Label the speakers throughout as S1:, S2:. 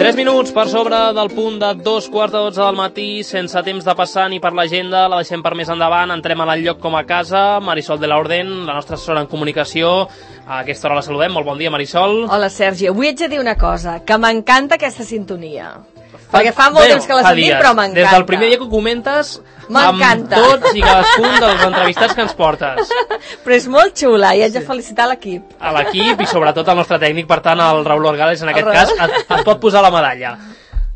S1: 3 minuts per sobre del punt de 2:15 del matí, sense temps de passar ni per l'agenda, la deixem per més endavant, entrem a l'enlloc com a casa. Marisol de la Orden, la nostra assessora en comunicació, a aquesta hora la saludem. Molt bon dia, Marisol.
S2: Hola, Sergi. Avui haig de dir una cosa, que m'encanta aquesta sintonia. Perquè fa molt temps que la sentim, però m'encanta.
S1: Des del primer dia que ho comentes,
S2: m'encanta,
S1: amb tots i cadascun dels entrevistats que ens portes.
S2: Però és molt xula i haig de felicitar l'equip.
S1: A l'equip i sobretot al nostre tècnic, per tant, el Raül Orgales, en aquest cas, et pot posar la medalla.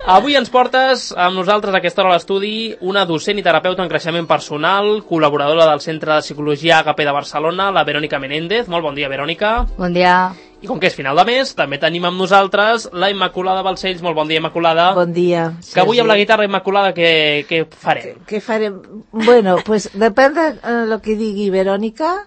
S1: Avui ens portes amb nosaltres a aquesta hora a l'estudi una docent i terapeuta en creixement personal, col·laboradora del Centre de Psicologia HP de Barcelona, la Verònica Menéndez. Molt bon dia, Verònica.
S3: Bon dia.
S1: I com que és final de mes, també tenim amb nosaltres la Immaculada Balcells. Molt bon dia, Immaculada.
S4: Bon dia.
S1: Que avui amb la guitarra, Immaculada, què farem?
S4: ¿Qué farem? Bueno, pues depende de lo que digui Verònica,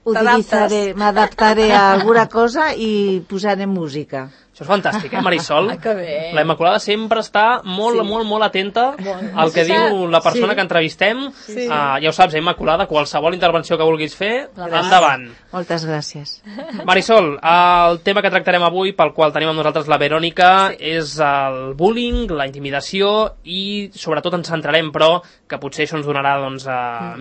S4: m'adaptaré a alguna cosa i posaré música.
S1: Això és fantàstic, Marisol?
S2: Que bé.
S1: La Immaculada sempre està molt atenta al que diu la persona que entrevistem. Ja ho saps, Immaculada, qualsevol intervenció que vulguis fer, endavant.
S4: Moltes gràcies.
S1: Marisol, el tema que tractarem avui, pel qual tenim amb nosaltres la Verònica, és el bullying, la intimidació i sobretot ens centrarem, però, que potser això ens donarà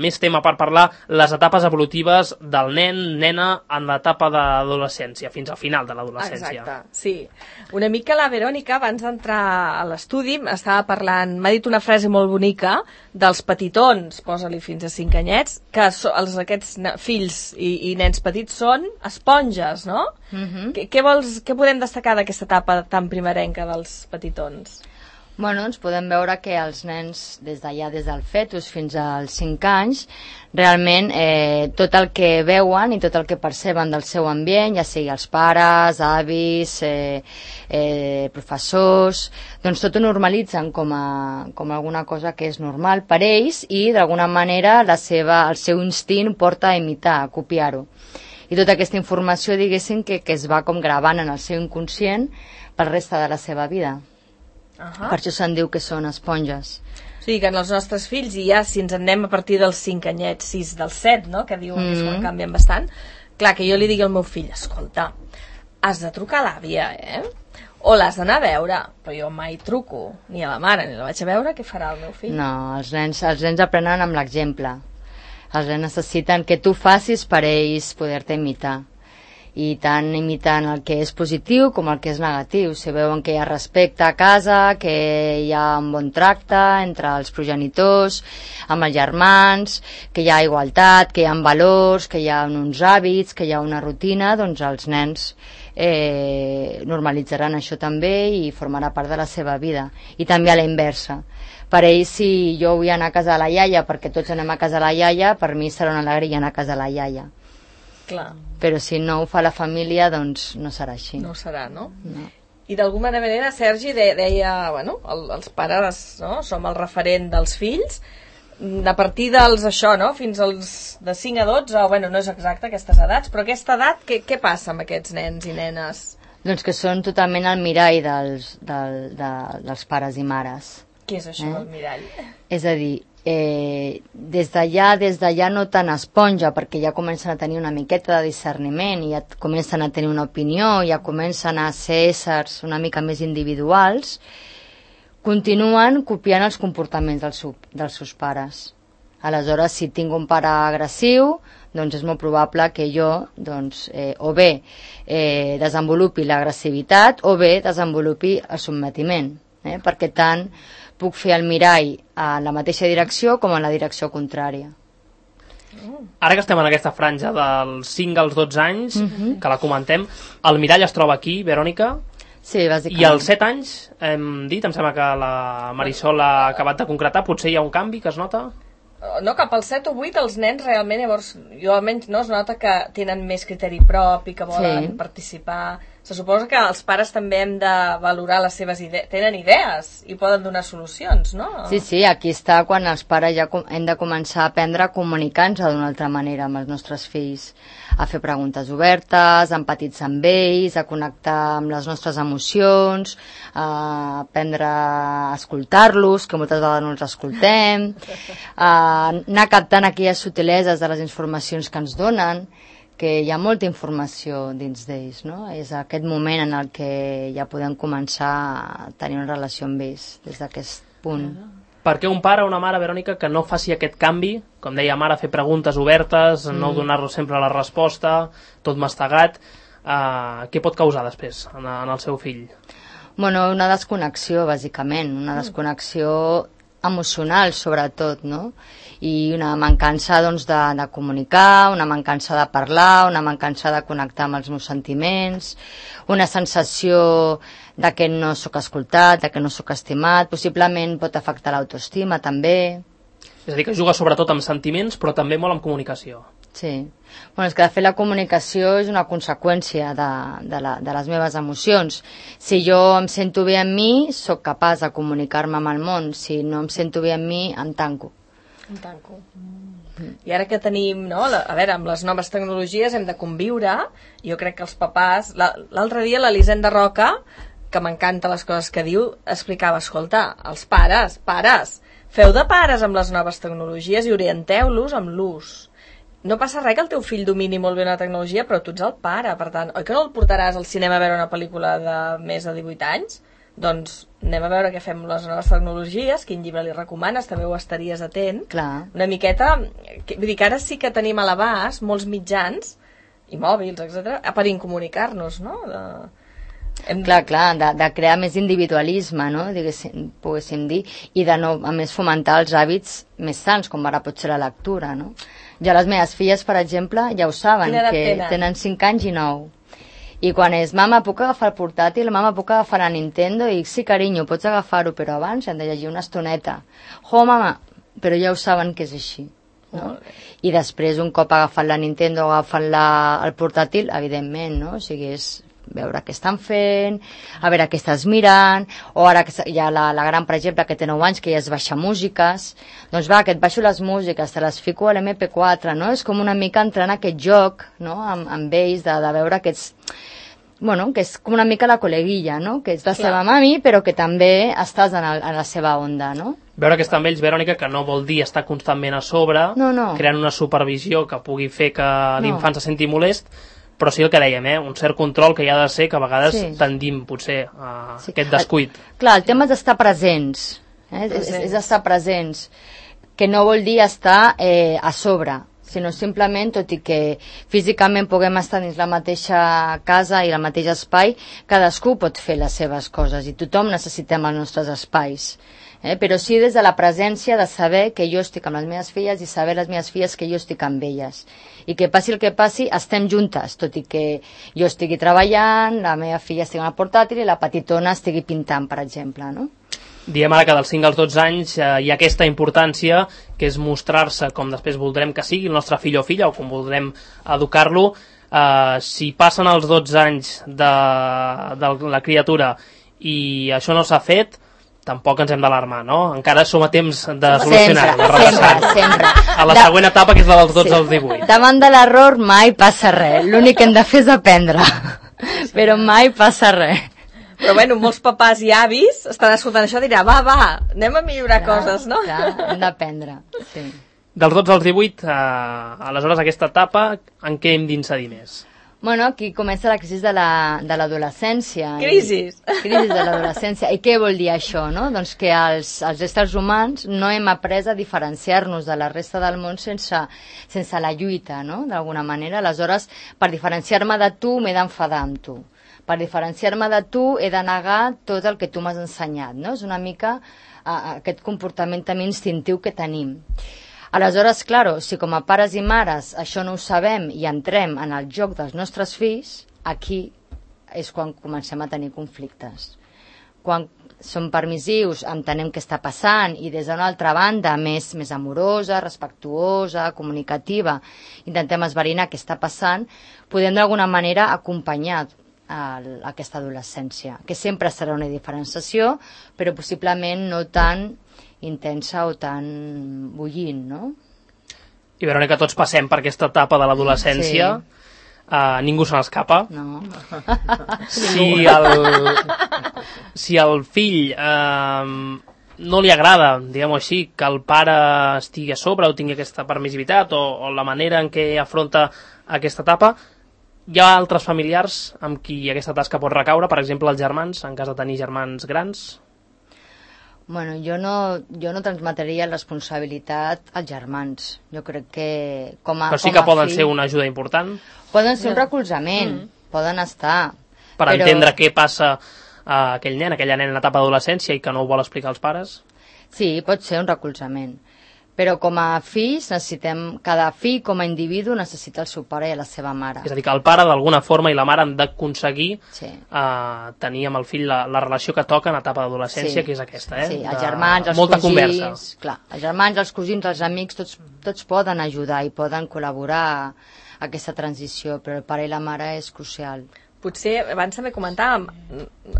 S1: més tema per parlar, les etapes evolutives del nen, nena, en l'etapa d'adolescència, fins al final de l'adolescència.
S2: Exacte, sí. Una mica la Verònica, abans d'entrar a l'estudi, estava parlant, m'ha dit una frase molt bonica dels petitons, posa-li fins a 5 anyets, que aquests fills i nens petits són esponges, no? Què podem destacar d'aquesta etapa tan primerenca dels petitons?
S3: Bueno, ens podem veure que els nens, des del fetus fins als 5 anys, realment tot el que veuen i tot el que perceben del seu ambient, ja sigui els pares, avis, professors, doncs tot ho normalitzen com alguna cosa que és normal per ells i d'alguna manera el seu instint porta a imitar, a copiar-ho. I tota aquesta informació, diguéssim, que es va com gravant en el seu inconscient per resta de la seva vida. Per això se'n diu que són esponges.
S2: O sigui que en els nostres fills, i ja si ens en anem a partir dels 5 anyets, 6 dels 7, no? Que diuen que és quan canvien bastant, clar, que jo li digui al meu fill, escolta, has de trucar a l'àvia, o l'has d'anar a veure, però jo mai truco ni a la mare ni la vaig a veure, què farà el meu fill?
S3: No, els nens aprenen amb l'exemple. Els nens necessiten que tu facis per ells poder-te imitar. I tant imitant el que és positiu com el que és negatiu. Si veuen que hi ha respecte a casa, que hi ha un bon tracte entre els progenitors, amb els germans, que hi ha igualtat, que hi ha valors, que hi ha uns hàbits, que hi ha una rutina, doncs els nens normalitzaran això també i formarà part de la seva vida. I també a la inversa. Per ells, si jo vull anar a casa de la iaia, perquè tots anem a casa de la iaia, per mi serà una alegria anar a casa de la iaia.
S2: Clar.
S3: Però si no ho fa la família, doncs no serà així.
S2: No serà, no? No. I d'alguna manera, Sergi deia, bueno, els pares, no?, som el referent dels fills, a partir dels això, no?, fins als de 5 a 12, bueno, no és exacte aquestes edats, però aquesta edat, què passa amb aquests nens i nenes?
S3: Doncs que són totalment el mirall dels pares i mares.
S2: Què és això del mirall?
S3: És a dir, des d'allà no tan esponja, perquè ja comencen a tenir una miqueta de discerniment i ja comencen a tenir una opinió, ja comencen a ser éssers una mica més individuals, continuen copiant els comportaments dels seus pares. Aleshores, si tinc un pare agressiu, doncs és molt probable que jo o bé desenvolupi l'agressivitat o bé desenvolupi el sotmetiment, perquè tant puc fer el mirall a la mateixa direcció com en la direcció contrària.
S1: Ara que estem en aquesta franja dels 5 als 12 anys, que la comentem, el mirall es troba aquí, Verònica?
S3: Sí, bàsicament.
S1: I als 7 anys, hem dit, em sembla que la Marisol ha acabat de concretar, potser hi ha un canvi que es nota?
S2: No, cap als 7 o 8 els nens realment, llavors, jo almenys no, es nota que tenen més criteri propi, que volen participar. Se suposa que els pares també hem de valorar les seves idees, tenen idees i poden donar solucions, no?
S3: Sí, aquí està quan els pares ja hem de començar a aprendre a comunicar-nos d'una altra manera amb els nostres fills, a fer preguntes obertes, a empatitzar amb ells, a connectar amb les nostres emocions, a aprendre a escoltar-los, que moltes vegades no els escoltem, a anar captant aquelles subtileses de les informacions que ens donen, que hi ha molta informació dins d'ells, no? És aquest moment en el que ja podem començar a tenir una relació amb ells, des d'aquest punt.
S1: Per què un pare o una mare, Verònica, que no faci aquest canvi, com deia mare, fer preguntes obertes, no donar-los sempre la resposta, tot mastegat, què pot causar després en el seu fill?
S3: Bueno, una desconnexió, bàsicament, una desconnexió emocional, sobretot, no? I una mancança, doncs, de comunicar, una mancança de parlar, una mancança de connectar amb els meus sentiments, una sensació de que no sóc escoltat, de que no sóc estimat, possiblement pot afectar l'autoestima, també.
S1: És a dir, que juga sobretot amb sentiments, però també molt amb comunicació.
S3: Sí. Bueno, és que de fet la comunicació és una conseqüència de les meves emocions. Si jo em sento bé amb mi, sóc capaç de comunicar-me amb el món. Si no em sento bé amb mi, em tanco.
S2: Em tanco. I ara que tenim, no, a veure, amb les noves tecnologies hem de conviure, jo crec que els papàs... L'altre dia l'Elisenda Roca, que m'encanta les coses que diu, explicava, escolta, els pares, feu de pares amb les noves tecnologies i orienteu-los amb l'ús. No passa res que el teu fill domini molt bé una tecnologia, però tu ets el pare, per tant, oi que no el portaràs al cinema a veure una pel·lícula de més de 18 anys? Doncs anem a veure què fem amb les noves tecnologies, quin llibre li recomanes, també ho estaries atent.
S3: Clar.
S2: Una miqueta, vull dir que ara sí que tenim a l'abast molts mitjans, i mòbils, etc, per incomunicar-nos, no?
S3: Clar, de crear més individualisme, no? Poguéssim dir, i de no, a més, fomentar els hàbits més sants, com ara pot ser la lectura, no? Ja les meves filles, per exemple, ja ho saben, que tenen 5 anys i 9. I quan és, mama, puc agafar el portàtil, mama, puc agafar la Nintendo, i sí, carinyo, pots agafar-ho, però abans hem de llegir una estoneta. Mama, però ja ho saben que és així. No? I després, un cop agafat la Nintendo o agafat el portàtil, evidentment, no? O sigui, és veure què estan fent, a veure què estàs mirant, o ara que hi ha la gran, per exemple, que té 9 anys, que ja es baixa músiques, doncs va, que et baixo les músiques, te les fico a l'MP4, no? És com una mica entrar en aquest joc, no? amb ells, de veure aquests... Bueno, que és com una mica la col·leguilla, no? Que ets la seva mami, però que també estàs en la seva onda, no?
S1: Veure que està amb ells, Verònica, que no vol dir estar constantment a sobre, creant una supervisió que pugui fer que l'infant se senti molest, però sí el que dèiem, un cert control que hi ha de ser, que a vegades tendim potser a aquest descuit.
S3: Clar, el tema és d'estar presents, és estar presents, que no vol dir estar a sobre, sinó simplement, tot i que físicament puguem estar dins la mateixa casa i el mateix espai, cadascú pot fer les seves coses i tothom necessitem els nostres espais. Però sí des de la presència de saber que jo estic amb les meves filles i saber les meves filles que jo estic amb elles. I que passi el que passi, estem juntes, tot i que jo estigui treballant, la meva filla estigui amb el portàtil i la petitona estigui pintant, per exemple, no?
S1: Diem ara que dels 5 als 12 anys hi ha aquesta importància, que és mostrar-se com després voldrem que sigui el nostre fill o filla, o com voldrem educar-lo. Si passen els 12 anys de la criatura i això no s'ha fet, tampoc ens hem d'alarmar, no? Encara som a temps de solucionar-ho,
S3: sempre.
S1: A la següent etapa, que és la dels 12 als 18.
S3: Davant de l'error mai passa res, l'únic que hem de fer és aprendre, però mai passa res.
S2: Però bueno, molts papàs i avis estan escoltant això i diran, va, anem a millorar coses, no?
S3: Clar, hem d'aprendre, sí.
S1: Dels 12 als 18, aleshores aquesta etapa, en què hem d'incidir més?
S3: Bueno, aquí comença la crisi de l'adolescència.
S2: Crisis
S3: de l'adolescència. I què vol dir això, no? Doncs que els éssers humans no hem après a diferenciar-nos de la resta del món sense la lluita, no? D'alguna manera. Aleshores, per diferenciar-me de tu, m'he d'enfadar amb tu. Per diferenciar-me de tu, he de negar tot el que tu m'has ensenyat, no? És una mica aquest comportament també instintiu que tenim. Aleshores, claro, si com a pares i mares això no ho sabem i entrem en el joc dels nostres fills, aquí és quan comencem a tenir conflictes. Quan som permissius, entenem què està passant i des d'una altra banda, més amorosa, respectuosa, comunicativa, intentem esverinar què està passant, podem d'alguna manera acompanyar aquesta adolescència, que sempre serà una diferenciació, però possiblement no tan intensa o tan bullint, no?
S1: I Verònica, tots passem per aquesta etapa de l'adolescència, ningú se n'escapa.
S3: No.
S1: Si el fill no li agrada, diguem-ho així, que el pare estigui a sobre o tingui aquesta permissivitat o la manera en què afronta aquesta etapa. Hi ha altres familiars amb qui aquesta tasca pot recaure, per exemple els germans, en cas de tenir germans grans?
S3: Bueno, jo no transmetria responsabilitat als germans. Jo crec que
S1: Però sí que poden ser una ajuda important?
S3: Poden ser un recolzament, poden estar.
S1: Per entendre què passa a aquell nen, aquella nena en etapa d'adolescència i que no ho vol explicar als pares?
S3: Sí, pot ser un recolzament. Però com a fills cada fill com a individu necessita el seu pare i la seva mare.
S1: És a dir, que el pare d'alguna forma i la mare han d'aconseguir tenir amb el fill la relació que toca en etapa d'adolescència, que és aquesta,
S3: Sí, els germans, els
S1: molta
S3: cosins,
S1: conversa.
S3: Clar, els germans, els cosins, els amics, tots poden ajudar i poden col·laborar a aquesta transició, però el pare i la mare és crucial.
S2: Potser, abans també comentàvem,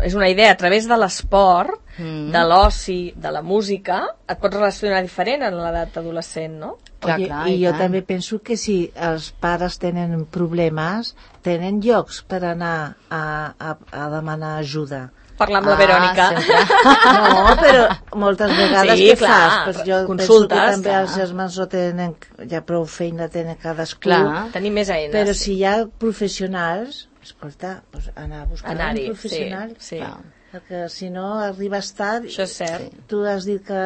S2: és una idea, a través de l'esport, de l'oci, de la música, et pots relacionar diferent en l'edat adolescent, no?
S3: Clar,
S4: I jo també penso que si els pares tenen problemes, tenen llocs per anar a demanar ajuda.
S2: Parlar amb la Verònica.
S4: No, però moltes vegades
S2: Sí,
S4: què
S2: clar,
S4: fas? Pues jo
S2: consultes,
S4: penso que també
S2: clar.
S4: els germans no tenen, ja prou feina tenen cadascú.
S3: Clar.
S2: Tenir més eines.
S4: Però si hi ha professionals, escolta, pues anar a buscar un professional.
S2: Sí.
S4: Perquè si no arribes tard,
S2: Això és cert.
S4: tu has dit que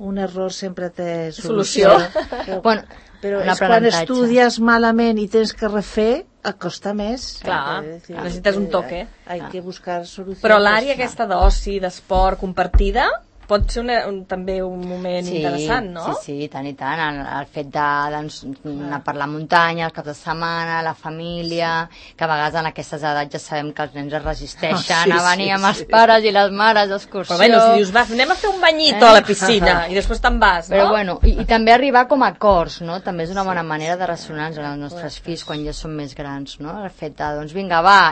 S4: un error sempre té
S2: Solució.
S4: Però,
S3: Bueno,
S4: però és quan estudies malament i tens que refer, et costa més.
S2: Clar, necessites un toque.
S4: Hay que buscar solucions.
S2: Però l'àrea aquesta d'oci, d'esport compartida, pot ser també un moment interessant, no?
S3: Sí, tant i tant. El fet d'anar per la muntanya, els caps de setmana, la família, que a vegades en aquestes edats ja sabem que els nens es resisteixen a venir amb els pares i les mares d'excursió.
S2: Però bueno, si dius, va, anem a fer un banyito a la piscina i després te'n vas, no?
S3: Però bueno, i també arribar com a acords, no? També és una bona manera de ressonar-nos amb els nostres fills quan ja són més grans, no? El fet de, doncs vinga, va,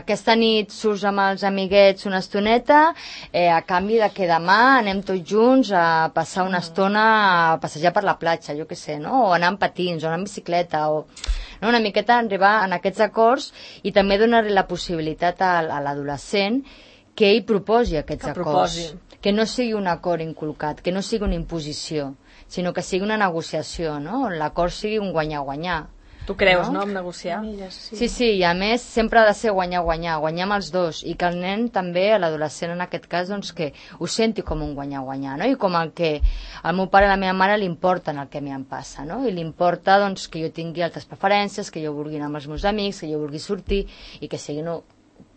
S3: aquesta nit surts amb els amiguets una estoneta, a canvi de que demà anem tots junts a passar una estona a passejar per la platja, jo què sé, no? O anar amb patins, o anar amb bicicleta, o no? Una miqueta arribar en aquests acords i també donar-li la possibilitat a l'adolescent que ell proposi aquests acords. Que no sigui un acord inculcat, que no sigui una imposició, sinó que sigui una negociació, no? On l'acord sigui un guanyar-guanyar.
S2: Tu creus, no?, en negociar?
S3: Sí, i a més sempre ha de ser guanyar-guanyar, guanyar amb els dos, i que el nen també, l'adolescent en aquest cas, doncs que ho senti com un guanyar-guanyar, no? I com el que al meu pare i a la meva mare li importen el que a mi em passa, no? I li importa doncs que jo tingui altres preferències, que jo vulgui anar amb els meus amics, que jo vulgui sortir, i que sigui un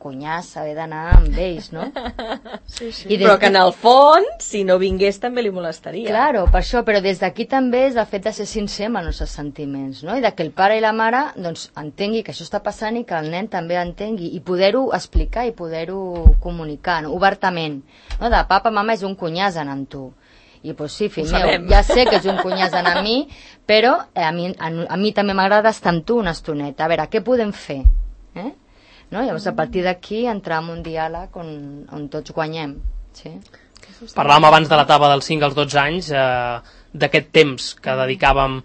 S3: cunyàs haver d'anar amb ells, no?
S2: Sí. Però que en el fons, si no vingués, també li molestaria.
S3: Claro, per això, però des d'aquí també és el fet de ser sincer amb els nostres sentiments, no? I de que el pare i la mare, doncs, entengui que això està passant i que el nen també entengui, i poder-ho explicar i poder-ho comunicar, no? Obertament, no? De papa, mama, és un cunyàs anar amb tu. I doncs sí, fill meu, ja sé que és un cunyàs anar amb mi, però a mi també m'agrada estar amb tu una estoneta. A veure, què podem fer? No? Llavors, a partir d'aquí, entrar en un diàleg on tots guanyem. Sí?
S1: Parlàvem abans de l'etapa dels 5 als 12 anys, d'aquest temps que dedicàvem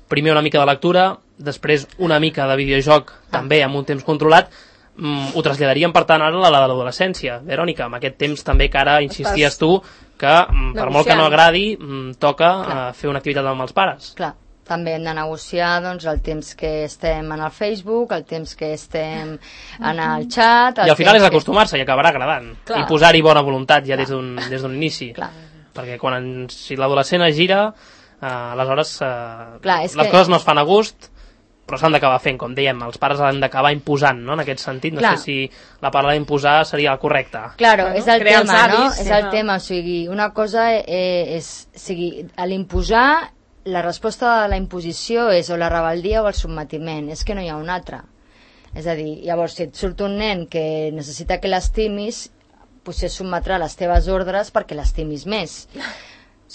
S1: primer una mica de lectura, després una mica de videojoc, també amb un temps controlat. Ho traslladaríem, per tant, ara a l'adolescència. Verònica, amb aquest temps també que ara insisties tu que, per molt que no agradi, toca fer una activitat amb els pares.
S3: Clar. També hem de negociar doncs, el temps que estem en el Facebook, el temps que estem en el chat...
S1: I al final és acostumar-se i acabarà agradant.
S2: Clar.
S1: I posar-hi bona voluntat ja des d'un inici.
S3: Clar.
S1: Perquè si l'adolescent es gira, aleshores les coses no es fan a gust, però s'han d'acabar fent, com dèiem, els pares han d'acabar imposant, no?, en aquest sentit. No sé si la paraula imposar seria la correcta.
S3: Claro, és el tema, no? És el tema, o sigui, una cosa és, a l'imposar, la resposta de la imposició és o la rebel·lia o el sotmetiment, és que no hi ha una altra. És a dir, llavors, si et surt un nen que necessita que l'estimis, potser sotmetrà les teves ordres perquè l'estimis més.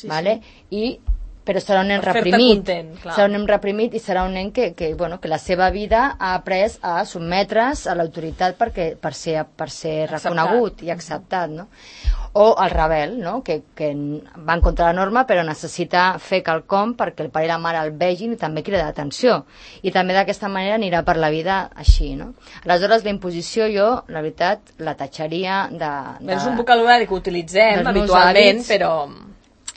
S3: Vale? I però serà un nen
S2: Per fer-te
S3: reprimit.
S2: content, clar.
S3: Serà un nen reprimit i serà un nen que la seva vida ha après a sotmetre's a l'autoritat per ser reconegut i acceptat, no? O el rebel, no? que va en contra de la norma però necessita fer quelcom perquè el pare i la mare el vegin i també crida l'atenció, i també d'aquesta manera anirà per la vida així, no? Aleshores la imposició jo, la veritat, la tatxaria
S2: És un vocabulari que utilitzem
S3: dels meus
S2: habitualment,
S3: hàbits.
S2: però...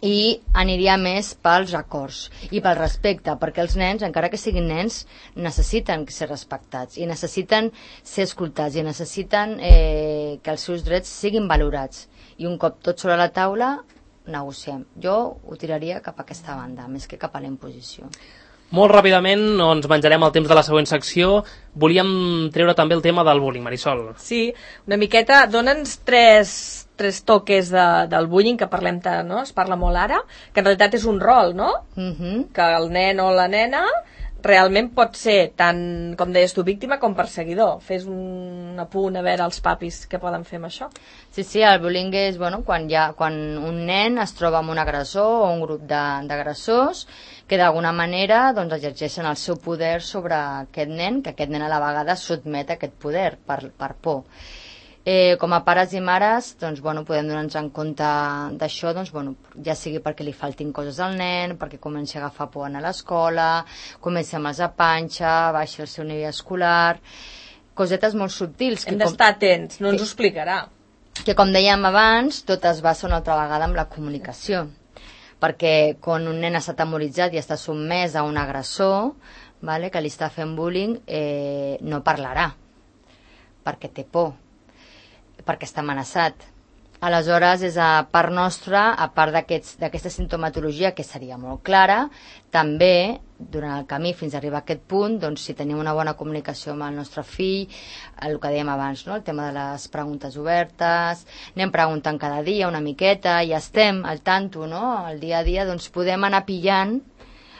S3: I aniria més pels acords i pel respecte, perquè els nens, encara que siguin nens, necessiten ser respectats i necessiten ser escoltats i necessiten que els seus drets siguin valorats, i un cop tot sobre la taula negociem. Jo ho tiraria cap a aquesta banda més que cap a la imposició.
S1: Molt ràpidament, ens menjarem el temps de la següent secció. Volíem treure també el tema del bullying, Marisol.
S2: Sí, una miqueta, dona'ns tres toques del bullying, que parlem tant, no? Es parla molt ara, que en realitat és un rol, no? Que el nen o la nena realment pot ser tant, com deies tu, víctima com perseguidor. Fes un apunt a veure els papis què poden fer amb això.
S3: Sí, el bullying és quan un nen es troba amb un agressor o un grup d'agressors que d'alguna manera exerceixen el seu poder sobre aquest nen, que aquest nen a la vegada sotmet a aquest poder per por. Com a pares i mares podem donar-nos en compte d'això, ja sigui perquè li faltin coses al nen, perquè comenci a agafar por a l'escola, comenci amb els a panxa, baixi el seu nivell escolar, cosetes molt subtils.
S2: Hem d'estar atents, no ens ho explicarà.
S3: Que com dèiem abans, tot es basa una altra vegada amb la comunicació, perquè quan un nen està atemoritzat i està sotmès a un agressor, que li està fent bullying, no parlarà, perquè té por, perquè està amenaçat. Aleshores, és a part nostra, a part d'aquesta sintomatologia que seria molt clara, també, durant el camí fins a arribar a aquest punt, si tenim una bona comunicació amb el nostre fill, el que dèiem abans, no? El tema de les preguntes obertes, anem preguntant cada dia una miqueta, i estem al tanto, no? El dia a dia, podem anar pillant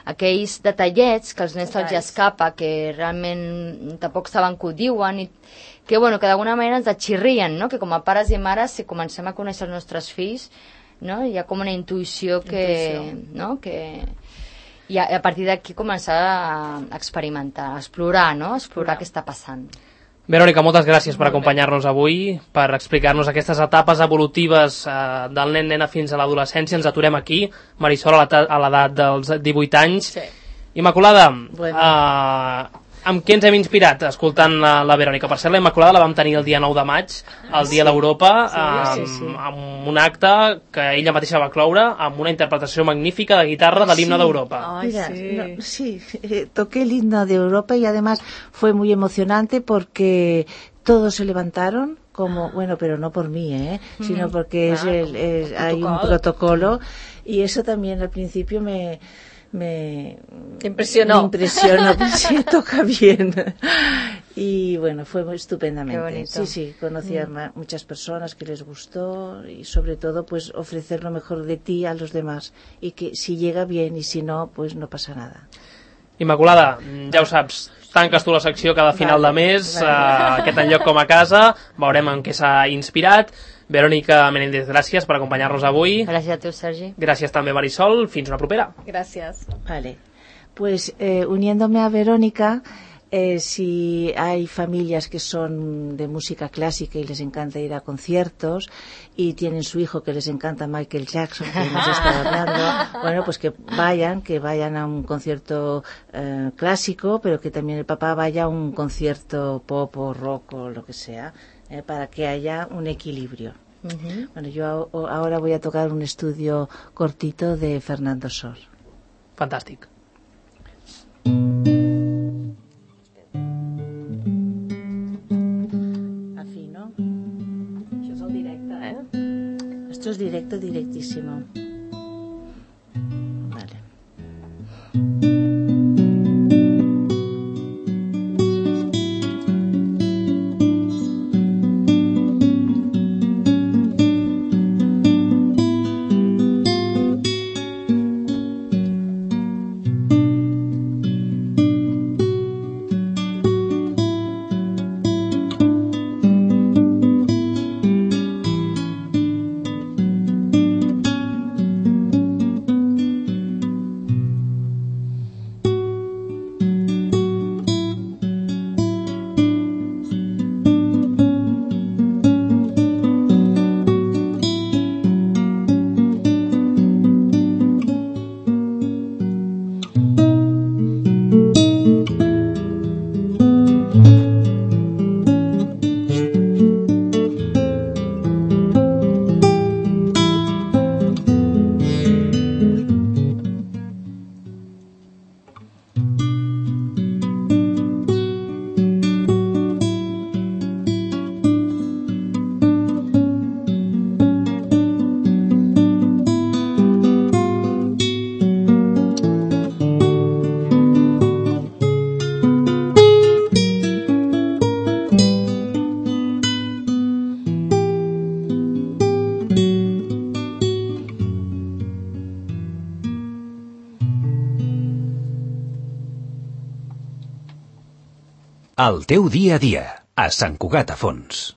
S3: aquells detallets que als nens se'ls escapa, que realment tampoc saben que ho diuen, i que d'alguna manera ens atxirrien, no? Que com a pares i mares, si comencem a conèixer els nostres fills, no? Hi ha com una intuïció no? I a partir d'aquí començar a experimentar, a explorar, no? Explorar què està passant.
S1: Verònica, moltes gràcies per acompanyar-nos avui, per explicar-nos aquestes etapes evolutives del nen-nena fins a l'adolescència. Ens aturem aquí, Marisol, a l'edat dels 18 anys.
S2: Sí.
S1: Immaculada, amb què ens hem inspirat escoltant la Verònica? Per cert, la Immaculada la vam tenir el dia 9 de maig, el dia d'Europa, amb un acte que ella mateixa va cloure, amb una interpretació magnífica de guitarra de l'himne d'Europa.
S4: Mira, toqué el himno de Europa y además fue muy emocionante porque todos se levantaron, pero no por mí, sino porque hay un protocolo, y eso también al principio me
S2: impresionó.
S4: Sí, toca bien. Y fue estupendamente. Sí, conocí a muchas personas que les gustó, y sobre todo pues ofrecer lo mejor de ti a los demás, y que si llega bien y si no, pues no pasa nada.
S1: Immaculada, ja ho saps, tanques tu la secció cada final de mes, aquest enlloc com a casa, veurem en què s'ha inspirat. Verònica Menéndez, gràcies per acompanyar-nos avui.
S3: Gràcies a tu, Sergi.
S1: Gràcies també, Marisol. Fins una propera.
S2: Gràcies.
S4: Vale. Pues uniéndome a Verónica, si hay familias que son de música clásica y les encanta ir a conciertos, y tienen su hijo que les encanta Michael Jackson, que hemos estado hablando, pues que vayan a un concierto clásico, pero que también el papá vaya a un concierto pop o rock o lo que sea, para que haya un equilibrio. Yo ahora voy a tocar un estudio cortito de Fernando Sor.
S1: Fantàstic.
S4: Afino.
S2: Això és el directe,
S4: Esto es directo, directísimo. Vale.
S5: El teu dia a dia, a Sant Cugat a Fons.